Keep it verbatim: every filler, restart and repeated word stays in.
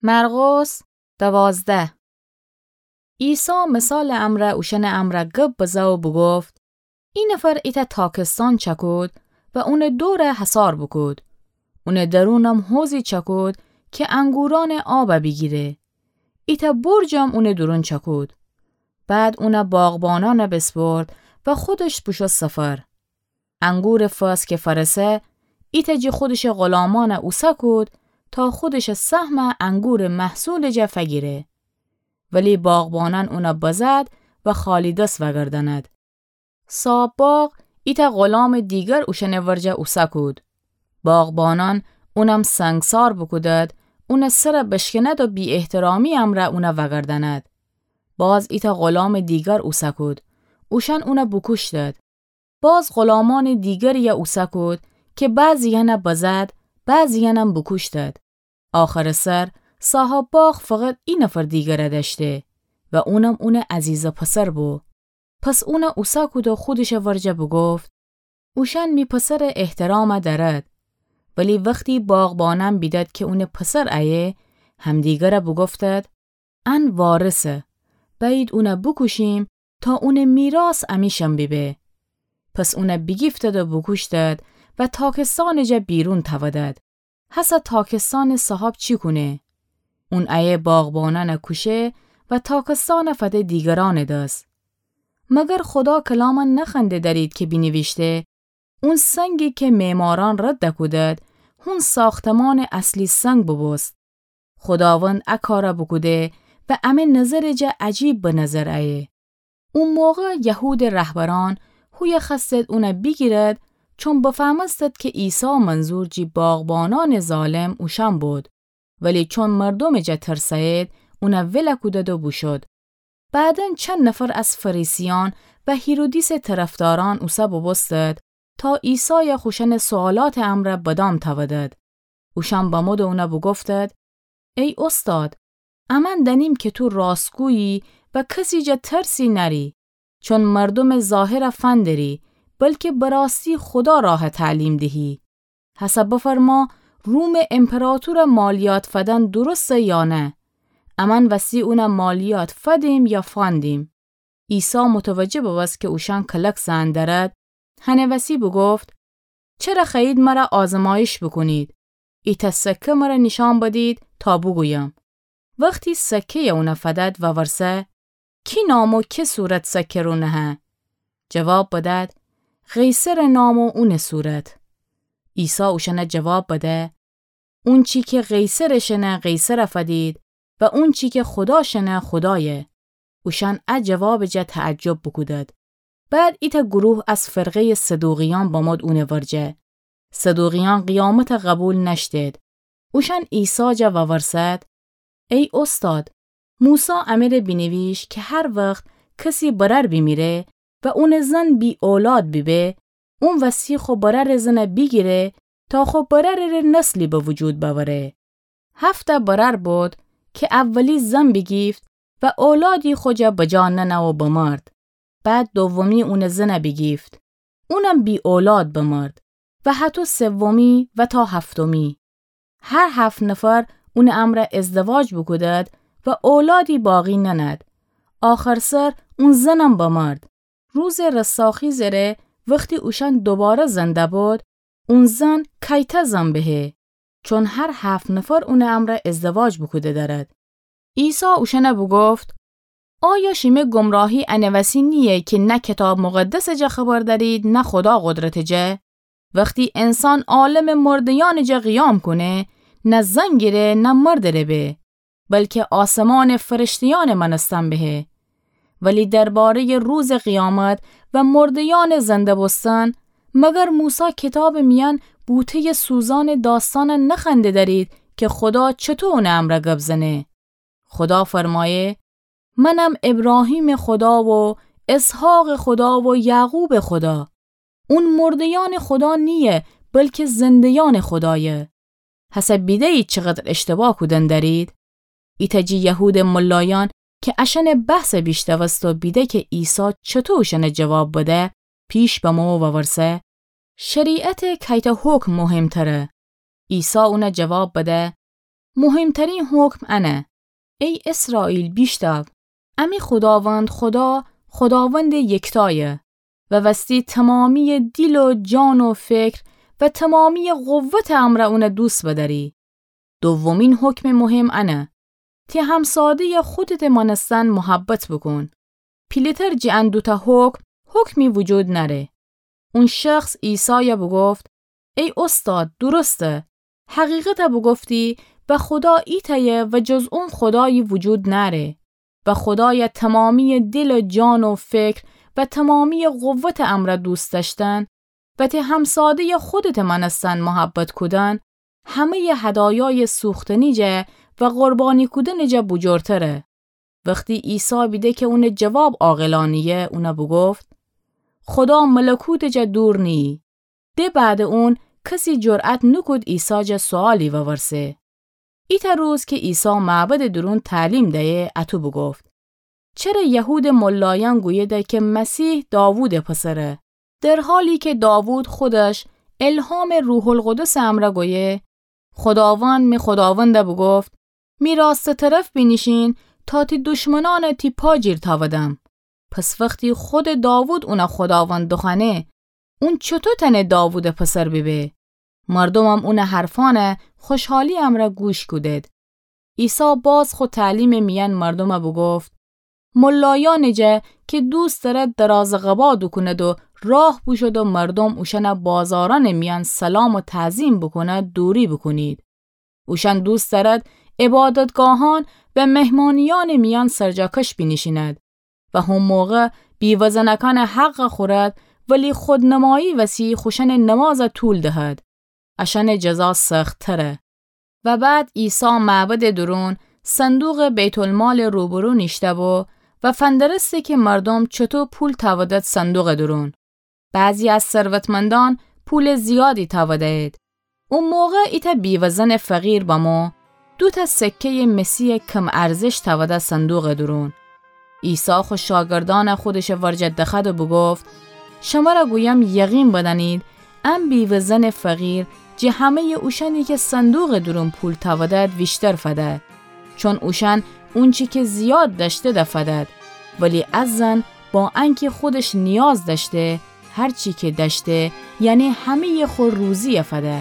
مرقس دوازده. عیسی مثالٚ امرأ اوشأنٚ امرأ گب بزه و بوگفت: ای نفر ایتأ تاکستان چکود و اونٚ دورَ حصار بوکود. اونٚ درونم حوضی چکود کی انگورأنٚ آب بیگیره. ایتأ برجم اونٚ دورون چکود. بعد اونَ باغبانأنَ بسپرد و خودش بوشو سفر. انگورٚ فصل کی فأرسه، ایتأ جی خودشٚ غلامأنَ اوسه کود تا خودشٚ سهمَ انگورٚ محصولٚ جا فگیره. ولی باغبانأن اونَ بزد و خالی دس وأگردأند. صاحب باغ ایتأ غلامٚ دیگر اوشأنٚ ورجه اوسه کود. باغبانأن اونم سنگسار بوکودد، اونٚ سرَ بشکنید و بی‌احترامی امرأ اونَ وأگردأند. باز ایتأ غلامٚ دیگر اوسه کود. اوشأن اونَ بوکوشتد. باز غلامأنٚ دیگریَ اوسه کود کی بعضی‌یأنَ بزد، بعضی‌یأنم بوکوشتد. آخرٚ سر صاحب باغ فقط ای نفر دیگرَ دأشته و اونم اونٚ عزیزٚ پسر بو. پس اونَ اوسه کود و خودشٚ ورجه بوگفت: اوشأن می پسرٚ احترامَ دأرد. ولی وختی باغبانأن بیدد کی اونٚ پسر ایه، همدیگرَ بوگفتد: ان وارثه، بأیید اونَ بوکوشیم تا اونٚ میراث امیشأن بیبه. پس اونَ بیگیفتد و بوکوشتد و تاکستانٚ جا بیرون تأودد. هسه تاکستانٚ صاحب چی کونه؟ اون ایه باغبانأنَ کوشه و تاکستانَ فده دیگرأنٚ دس. مگر خودا کلامَ نخوأنده دأرید کی بینیویشته: اون سنگی کی معمارأن رد کودد، هون ساختمانٚ اصلی سنگ بوبوست. خوداوند ا کارَ بوکوده و امه نظرٚ جا عجیب به نظر ایه. او موقع یهودٚ رهبرأن هویه خوأستد اونَ بیگیرد، چون بفهمستد کی عیسی منظور جی باغبانأنٚ ظالم اوشأن بود. ولی چون مردومٚ جا ترسه‌یید، اونَ ول کودد و بوشد. بعداً چند نفر از فریسیأن و هیرودیسٚ طرفدارأن اوسه بوبوستد تا عیسایَ خوشأنٚ سؤالاتٚ امرأ بدام تأودد. اوشأن بمود و اونَ بوگفتد: ای اوستاد، امأن دأنیم کی تو راستگویی و کسی جا ترسی نأری، چون مردومٚ ظاهرَ فندری، بلکی به راستی خودا راهَ تعلیم دهی. هسه بفرما، رومٚ امپراطورَ مالیات فدن درسته یا نه؟ امأن وستی اونَ مالیات فدیم یا فندیم؟ عیسی متوجه ببوست کی اوشأن کلک زأن دأرد، هنٚ وسی بوگفت: چره خوأیید مرَ آزمایش بوکونید؟ ایتأ سکه مرَ نیشأن بدید تا بوگویم. وختی سکه‌یَ اونَ فدد وورسه: کی نام و کی صورت سکه رو نهه؟ جواب بدد: قیصرٚ نام و اونٚ صورت. عیسی اوشأنَ جواب بده: اونچی کی قیصرٚ شنه قیصرَ فدید و اونچی کی خودا شنه خودایه. اوشأن ا جوابٚ جا تعجب بوکودد. بعد ایتأ گروه از فرقه‌یٚ صدوقیأن بمود اونٚ ورجه. صدوقیأن قیامتَ قبول نأشتید. اوشأن عیسی جا وورسد: ای اوستاد، موسی امره بینیویشت کی هر وخت کسی برأر بیمیره و اونٚ زن بی‌اولاد بیبه، اون وستی خو برأرٚ زنَ بیگیره تا خو برأرٚ ره نسلی به وجود بأوره. هفت‌تأ برأر بود کی اولی زن بیگیفت و اولادی خو جا بجا ننه و بمرد. بعد دومی اونٚ زنَ بیگیفت. اونم بی‌اولاد بمرد و هطو سومی و تا هفتمی. هر هفت نفر اونٚ امرأ ازدواج بوکودد و اولادی باقی ننأد. آخر سر اون زنم بمرد. روزٚ رستاخیزٚ ره وختی اوشأن دوباره زنده بود، اون زن کیتأ زن بهه، چون هر هفت نفر اونٚ امرأ ازدواج بوکوده دأرد. عیسی اوشأنَ بوگفت: آیا شیمه گمراهی انٚ وسی نییه کی نه کیتاب مقدسٚ جا خبر دأرید نه خودا قدرتٚ جا؟ وختی انسان عالمٚ مرده‌یأنٚ جا قیام کونه، نه زن گیره نه مردٚ ره به، بلکی آسمانٚ فرشته‌یأنٚ مأنستن بهه. ولی درباره‌یٚ روزٚ قیامت و مرده‌یأنٚ زنده بوستن، مگر موسی کیتابٚ میأن بوته‌یٚ سوزانٚ داستأنَ نخوأنده دأرید کی خودا چطو اونٚ امرأ گب زنه؟ خودا فرمایه: منم ابراهیمٚ خودا و اسحاقٚ خودا و یعقوبٚ خودا. اون مرده‌یأنٚ خودا نییه، بلکی زنده‌یأنٚ خودایه. هسه بیده‌یید چقدر اشتباه کودن دأرید؟ ایتأ جی یهودٚ ملایأن کی اشأنٚ بحثَ بیشنوست و بیده کی عیسی چطو اوشأنَ جواب بده، پیش بمو و وورسه: شریعتٚ کیتأ حکم مهمتره؟ عیسی اونَ جواب بده: مهمترین حکم انه: ای اسرائیل، بیشتاو! امی خوداوند خدا، خوداوندٚ یکتایه و وستی تمامیٚ دیل و جان و فکر و تمامیٚ قوتٚ امرأ اونَ دوست بدأری. دومین حکمٚ مهم انه: تی همساده‌یَ خودتٚ مأنستن محبت بوکون. پیله‌تر جٚه ان دوتأ حکم، حکمی وجود نأره. اون شخص عیسایَ بوگفت: ای اوستاد، درسته. حقیقتَ بوگفتی و خودا ایتأیه و جز اون خودایی وجود نأره. و خودایَ تمامیٚ دیل و جان و فکر و تمامیٚ قوتٚ امرأ دوست دأشتن و تی همساده‌یَ خودتٚ مأنستن محبت کودن، همه‌یٚ هدایایٚ سوختنی جا و قربانی کودنٚ جا بوجورتره. وختی عیسی بیده کی اونٚ جواب عاقلانه‌یه، اونَ بوگفت: خودا ملکوتٚ جا دور نییی. د بعدٚ اون کسی جرأت نوکود عیسی جا سؤالی وورسه. ایتأ روز کی عیسی معبدٚ دورون تعلیم دیه، اطو بوگفت: چره یهودٚ ملایأن گویده کی مسیح داوودٚ پسره، در حالی کی داوود خودش الهامٚ روح‌القدسٚ امرأ گویه: خوداوند می خوداوندَ بوگفت: می راستٚ طرف بینیشین تا تی دشمنأنَ تی پا جیر تأودم. پس وختی خودٚ داوود اونَ خوداوند دوخوأنه، اون چوطو تأنه داوودٚ پسر بیبه؟ مردومم اونٚ حرفأنَ خوشحالیٚ امرأ گوش کودید. عیسی باز خو تعلیمٚ میأن مردومَ بوگفت: ملایأنٚ جا کی دوست دأرد درازٚ قبا دوکوند و راه بوشود و مردوم اوشأنَ بازارأنٚ میأن سلام و تعظیم بوکوند، دوری بوکونید. اوشأن دوست دأرد عبادتگاهأن و مهمانیأنٚ میأن سرجاکش بینیشیند و هو موقع بیوه‌زنأکأنٚ حقَ خورد، ولی خودنمایی وسی خوشأنٚ نمازَ طول دهد. اشأنٚ جزا سخت‌تره. و بعد عیسی معبدٚ دورون صندوقٚ بیت‌المالٚ روبرو نیشته‌بو و فندرسته کی مردوم چوطو پول تأودد صندوقٚ دورون. بعضی از ثروتمندأن پولٚ زیادی تأوده‌یید. او موقع ایتأ بیوه‌زنٚ فقیر بمو، دوتأ سکه‌یٚ مسی‌یٚ کم‌ارزش تأوده صندوقٚ دورون. عیسی خو شاگردأنَ خودشٚ ورجه دخوأد و بوگفت: شمرَ گویم، یقین بدأنید، ا بیوه‌زنٚ فقیر جٚه همه‌یٚ اوشأنی کی صندوقٚ دورون پول تأودد ویشتر فده. چون اوشأن اونچی کی زیاد دأشته‌د فدد، ولی ا زن با انکی خودش نیاز دأشته، هر چی کی دأشته، یعنی همه‌یٚ خو روزی‌یَ فده.